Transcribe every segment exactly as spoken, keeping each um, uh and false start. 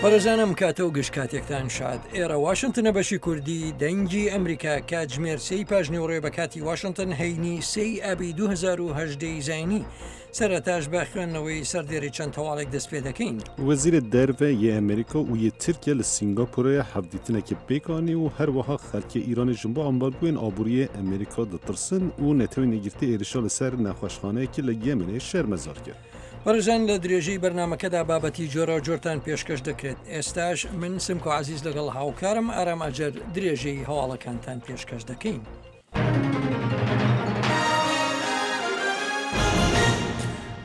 بەڕێزان ئەم کاتە و گشت کاتێکتان شاد. ئێرە واشنتنە بەشی کوردی دەنگی ئەمریکا کاتژمێر سێی پاش نیوەڕۆ بە کاتی واشنتن هەینی سێی ئابی دوو هەزار و هەژدە ی زاینی. سەرەتاش بە خوێندنەوەی سەردێری چەند هەواڵێک دەست پێ دەکەین. وەزیرê Derve yê Amerîka û yê Tirkiye li Singapûrê hevdîtinekê pêk anî û herwiha xelkê Îranê ji bo ambargoyên aboriyê Amerîka ditirsin û Netewên Yekgirtî êrişa li ser nexweşxaneyekê li Yemenê şermezar kir. بەڕێزان لە درێژەی بەرنامەکەدا بابەتی جۆرە جۆرتان پێشکەش دەکرێت. ئێستاش من سمکۆ عزیز لەگەڵ هاوکارم ئارام ئەجەر درێژەی هەواڵەکانتان پێشکەش دەکەین.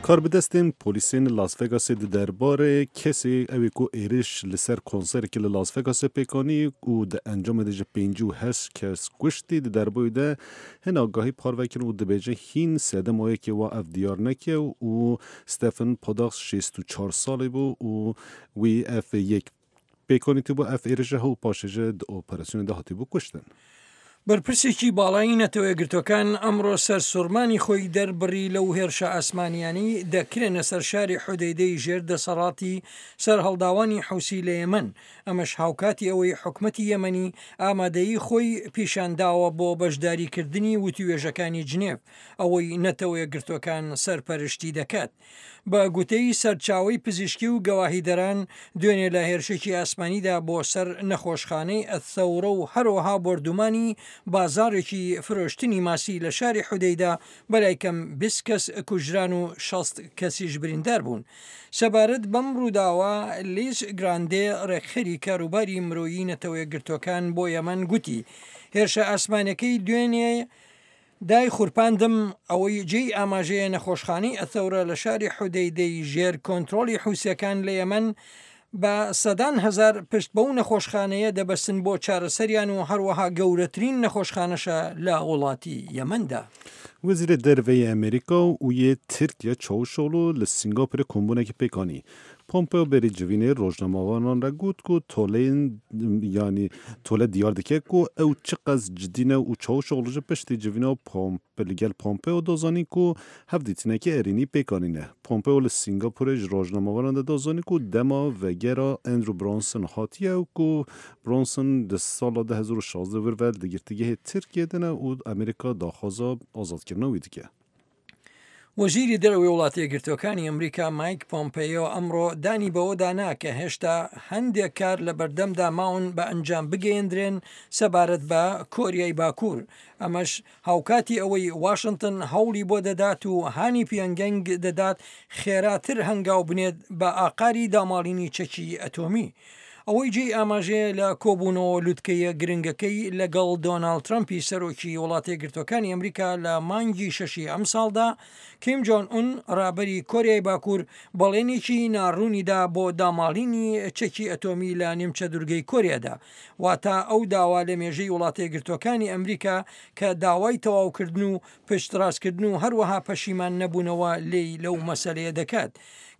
Karbidestên polîsên Las Vegasê di derbarê kesê ew ê ku êriş li ser konserekê li Las Vegasê pêk anî û di encamê de ji pêncî û heşt kes kuştî di derbarê de hin agahî parve kirin û dibêje hîn sedema yekê wa ev diyar neke û Stephen Paddock şêst û çar salî bû û wî ev yek pêkanîtibû ev êrişe û paşê ji di operasyonê de hatibû kuştin. بەرپرسێکی باڵایی نەتەوەیەکگرتووەکان ئەمڕۆ سەرسوڕمانی خۆی دەربڕی لەو هێرشە ئاسمانیانەی دەکرێنە سەر شاری حودەیدەی ژێر دەسەڵاتی سەرهەڵداوانی حوسی لە یەمەن، ئەمەش هاوکاتی ئەوەی حکومەتی یەمەنی ئامادەیی خۆی پیشانداوە بۆ بەشداریکردنی وتوێژەکانی جنێف، ئەوەی نەتەوەیەکگرتووەکان سەرپەرشتی دەکات. بە گوتەی سەرچاوەی پزیشکی و گەواهیدەران دوێنێ لە هێرشێکی ئاسمانیدا بۆ سەر نەخۆشخانەی ئەثەورە و هەروەها بۆردومانی بازاڕێکی فرۆشتنی ماسی لە شاری حودەیدا بەلای کەم بیست کەس کوژران و شەست کەسیش بریندار بوون. سەبارەت بەم ڕووداوە لیز گراندێ ڕێکخەری کاروباری مرۆیی نەتەوەیەکگرتووەکان بۆ یەمەن گوتی هێرشە ئاسمانەکەی دوێنێ دای خورپاندم، ئەوەی جێی ئاماژەیە نەخۆشخانەی ئەثەورە لە شاری حودەیدەی ژێر کۆنترۆڵی حوسیەکان لە یەمەن بە سەدان هەزار پشت بەو نەخۆشخانەیە دەبەستن بۆ چارەسەریان و هەروەها گەورەترین نەخۆشخانەشە لە وڵاتی یەمەندا. وەزیرê Derve yê Amerîka û yê Tirkiye Çavuşoglu li Singapûrê kombûnekê pêk anî. Pompeo berî civînê rojnamevanan re got ku toleyên yanî tole diyar dike ku ew çi qas cidî ne û Çavuşoglu ji piştî civîna Pompe li gel Pompeo da zanîn ku hevdîtinekê erênî pêk anîne. Pompeo li Singapûrê ji rojnamevanan de da zanîn ku dema vegera Andrew Brunson hatiye û ku Brunson di sala du hezar û şazdeh vir ve li girtîgehê Tirkiye de ne û Amerîka daxwaza azadkirina wî dike. وەزیری دەرەوەی وڵاتە یەکگرتووەکانی ئەمریکا مایک پۆمپەیۆ ئەمڕۆ دانی بەوەدا نا کە هێشتا هەندێک کار لە بەردەمدا ماون بە ئەنجام بگەیەندرێن سەبارەت بە کۆریای باکوور. ئەمەش هاوکاتی ئەوەی واشنگتن هەوڵی بۆ دەدات و هانی پیۆنگەنگ دەدات خێراتر هەنگاو بنێت بە ئاقاری داماڵینی چەکی ئەتۆمی. ئەوەی جێی ئاماژەیە لە کۆبوونەوە لوتکەیە گرنگەکەی لەگەڵ دۆناڵد ترەمپی سەرۆکی وڵاتە یەکگرتووەکانی ئەمریکا لە مانگی شەشی ئەمساڵدا، کیم جۆن ئون ڕابەری کۆریای باکوور بەڵێنێکی ناڕوونیدا بۆ داماڵینی چەکی ئەتۆمی لە نیمچە دوورگەی کۆریادا، واتە ئەو داوا لە مێژەی وڵاتە یەکگرتووەکانی ئەمریکا کە داوای تەواوکردن و پشتڕاستکردن و هەروەها پەشیمان نەبوونەوە لێی لەو مەسەلەیە دەکات.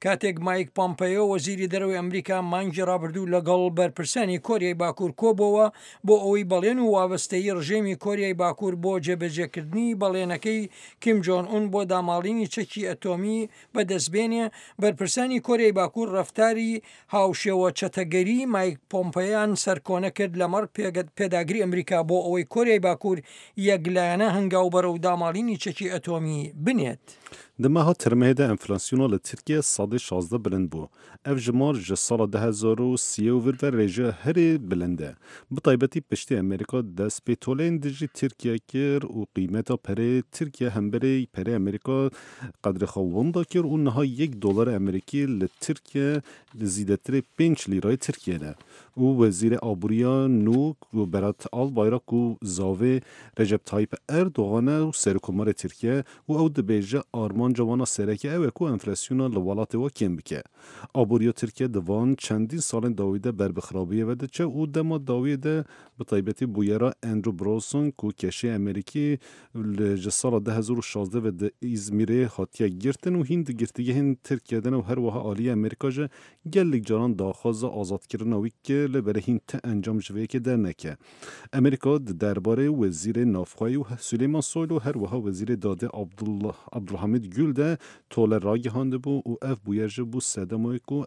کاتێک مایک پۆمپەیۆ وەزیری دەرەوەی ئەمریکا مانگی ڕابردوو لەگەڵ بەرپرسانی کۆریای باکوور کۆبەوە بۆ ئەوەی بەڵێن و وابەستەیی ڕژێمی کۆریای باکوور بۆ جێبەجێکردنی بەڵێنەکەی کیم جۆن ئون بۆ داماڵینی چەکی ئەتۆمی بەدەستبێنێ، بەرپرسانی کۆریای باکوور ڕەفتاری هاوشێوە چەتەگەری مایک پۆمپەیان سەرکۆنە کرد لەمەڕ پێداگری ئەمریکا بۆ ئەوەی کۆریای باکوور یەکلایەنە هەنگاو بەرەو داماڵینی چەکی ئەتۆمی بنێت. Di meha Tirmehê de enflasyona li Tirkiye sedê şazdeh bilind bû. Ev jimar ji sala du hezar û sê û vir ve rêjeya herî bilind e. Bi taybetî piştî Amerîka dest pê toleyên dijî Tirkiye kir û qîmeta perê Tirkiye hemberê perê Amerîka qedrê xwe winda kir û niha yek dolarê Amerîkî li Tirkiye li zêdetirê pênc lîrayê Tirkiye ne. Û Wezîrê Aboriya nû Berat Albayrak ku zavê Recep Tayyip Erdogan e û Serokkomarê Tirkiye û ew dibêje armanca wan a sereke ew e ku enflasyona li welatê we kêm bike. Aboriya Tirkiye di van çendîn salên dawî de ber bi xirabiyê ve diçe û dema dawiyê de bi taybetî bûyera Andrew Brunson ku keşê Amerîkî ji sala du hezar û şazdeh ve di Îzmîrê hatiye girtin û hîn di girtîgehên Tirkiye de ne û herwiha aliyê Amerîka ji gelek caran daxwaza azadkirina wî kir li berê hîn ti encam ji vê yekê derneke. Amerîka di derbarê Wezîrê Navxweyî û Süleyman Soylu herwiha Wezîrê Dadê Abdulhamid Gül de tole ragihandibû û ev bûyer ji bû sedema ku